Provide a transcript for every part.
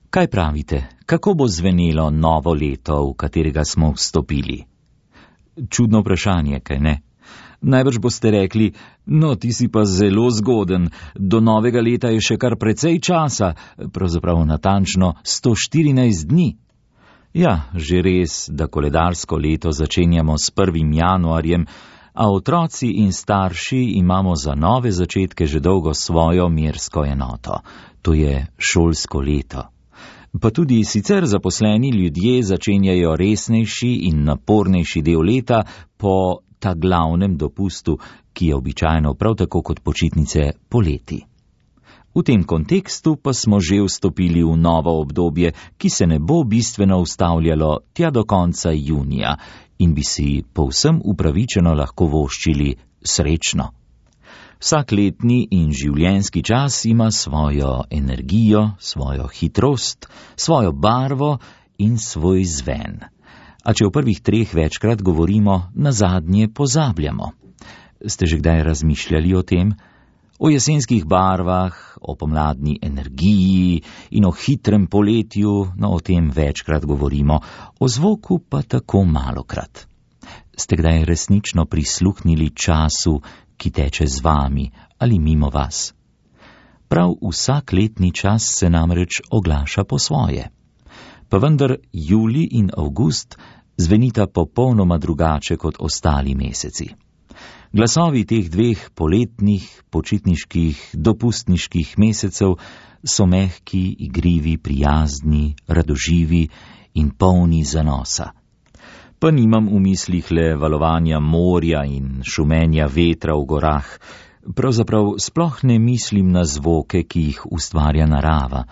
Kaj pravite, kako bo zvenelo novo leto, v katerega smo vstopili? Čudno vprašanje, kaj ne? Najbrž boste rekli, no, ti si pa zelo zgoden, do novega leta je še kar precej časa, pravzaprav natančno 114 dni. Ja, že res, da koledarsko leto začenjamo s 1. januarjem, a otroci in starši imamo za nove začetke že dolgo svojo mersko enoto, to je šolsko leto. Pa tudi sicer zaposleni ljudje začenjajo resnejši in napornejši del leta po ta glavnem dopustu, ki je običajno prav tako kot počitnice poleti. V tem kontekstu pa smo že vstopili v novo obdobje, ki se ne bo bistveno ustavljalo tja do konca junija in bi si povsem upravičeno lahko voščili srečno. Vsak letni in življenjski čas ima svojo energijo, svojo hitrost, svojo barvo in svoj zven. A če v prvih 3 večkrat govorimo, nazadnje pozabljamo. Ste že kdaj razmišljali o tem? O jesenskih barvah, o pomladni energiji in o hitrem poletju, no o tem večkrat govorimo, o zvoku pa tako malokrat. Ste kdaj resnično prisluhnili času, ki teče z vami ali mimo vas? Prav vsak letni čas se namreč oglaša po svoje. Pa vendar julij in avgust zvenita popolnoma drugače kot ostali meseci. Glasovi teh 2 poletnih, počitniških, dopustniških mesecev so mehki, igrivi, prijazni, radoživi in polni zanosa. Pa nimam v mislih le valovanja morja in šumenja vetra v gorah, pravzaprav sploh ne mislim na zvoke, ki jih ustvarja narava.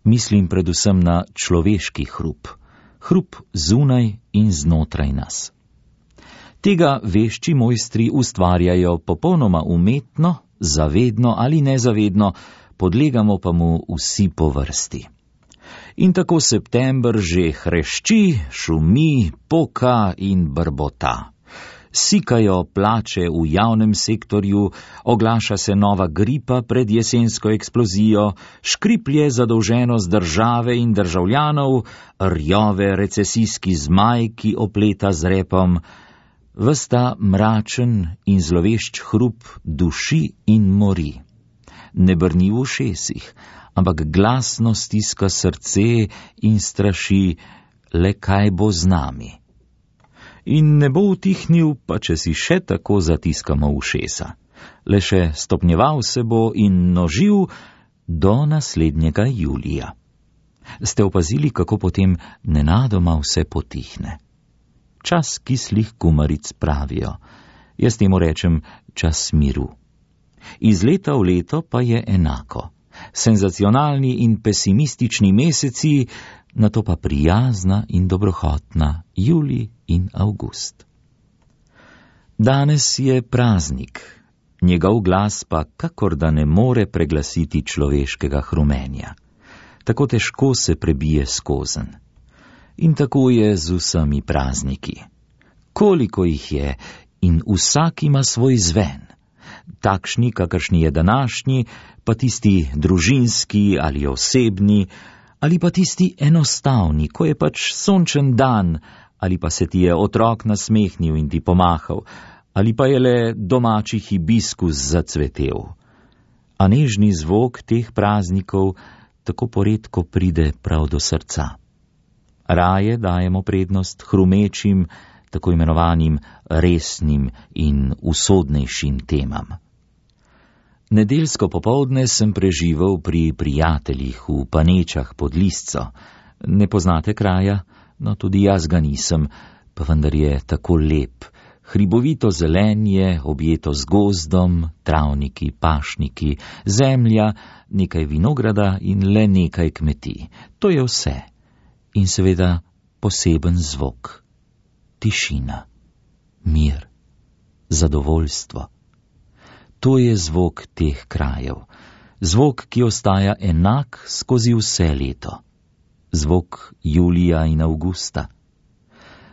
Mislim predvsem na človeški hrup, hrup zunaj in znotraj nas. Tega vešči mojstri ustvarjajo popolnoma umetno, zavedno ali nezavedno, podlegamo pa mu vsi po vrsti. In tako september že hrešči, šumi, poka in brbota. Sikajo plače v javnem sektorju, oglaša se nova gripa pred jesensko eksplozijo, škriplje zadolženost države in državljanov, rjove recesijski zmaj, ki opleta z repom. Ves ta mračen in zlovešč hrup duši in mori. Ne brni v ušesih, ampak glasno stiska srce in straši, le kaj bo z nami. In ne bo utihnil, pa če si še tako zatiskamo ušesa. Le še stopnjeval se bo in množil do naslednjega julija. Ste opazili, kako potem nenadoma vse potihne? Čas kislih kumaric pravijo. Jaz temu rečem čas miru. Iz leta v leto pa je enako. Senzacionalni in pesimistični meseci, nato pa prijazna in dobrohotna julij in avgust. Danes je praznik, njegov glas pa kakor da ne more preglasiti človeškega hrumenja. Tako težko se prebije skozen. In tako je z vsemi prazniki. Koliko jih je in vsak ima svoj zven. Takšni, kakršni je današnji, pa tisti družinski ali osebni, ali pa tisti enostavni, ko je pač sončen dan, ali pa se ti je otrok nasmehnil in ti pomahal, ali pa je le domači hibiskus zacvetel. A nežni zvok teh praznikov tako poredko pride prav do srca. Raje dajemo prednost hrumečim, tako imenovanim resnim in usodnejšim temam. Nedeljsko popoldne sem preživel pri prijateljih v Panečah pod Lisco. Ne poznate kraja? No, tudi jaz ga nisem, pa vendar je tako lep. Hribovito zelenje, objeto z gozdom, travniki, pašniki, zemlja, nekaj vinograda in le nekaj kmetij. To je vse. In seveda poseben zvok. Tišina, mir, zadovoljstvo. To je zvok teh krajev. Zvok, ki ostaja enak skozi vse leto. Zvok julija in avgusta.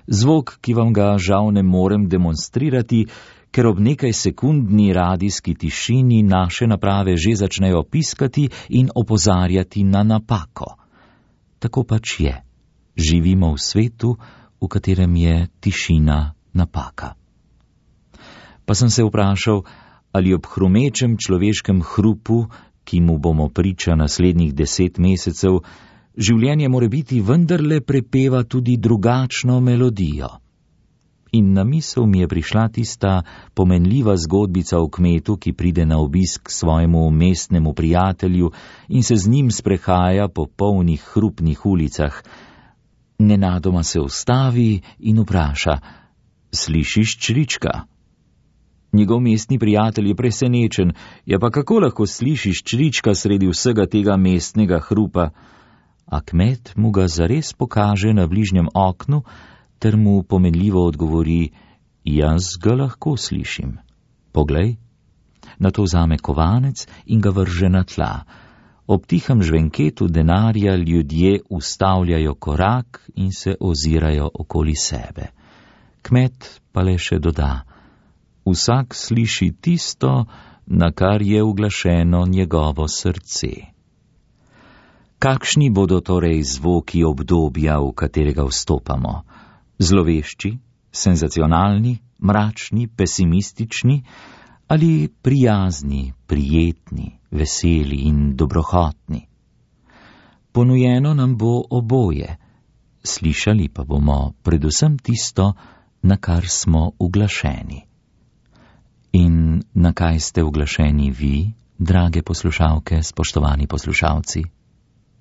Zvok, ki vam ga žal ne morem demonstrirati, ker ob nekaj sekundni radijski tišini naše naprave že začnejo piskati in opozarjati na napako. tako pač je. Živimo v svetu, v katerem je tišina napaka. Pa sem se vprašal, ali ob hrumečem človeškem hrupu, ki mu bomo priča naslednjih 10 mesecev, življenje morebiti vendarle prepeva tudi drugačno melodijo. In na misel mi je prišla tista pomenljiva zgodbica o kmetu, ki pride na obisk svojemu mestnemu prijatelju in se z njim sprehaja po polnih hrupnih ulicah. Nenadoma se ustavi in vpraša: "Slišiš črička?" Njegov mestni prijatelj je presenečen: "Ja, pa kako lahko slišiš črička sredi vsega tega mestnega hrupa?" A kmet mu ga zares pokaže na bližnjem oknu ter mu pomenljivo odgovori: "Jaz ga lahko slišim. Poglej." Nato vzame kovanec in ga vrže na tla. Ob tihem žvenketu denarja ljudje ustavljajo korak in se ozirajo okoli sebe. Kmet pa le še doda: "Vsak sliši tisto, na kar je uglašeno njegovo srce." Kakšni bodo torej zvoki obdobja, v katerega vstopamo? Zlovešči, senzacionalni, mračni, pesimistični ali prijazni, prijetni, veseli in dobrohotni? Ponujeno nam bo oboje, slišali pa bomo predvsem tisto, na kar smo uglašeni. In na kaj ste uglašeni vi, drage poslušalke, spoštovani poslušalci?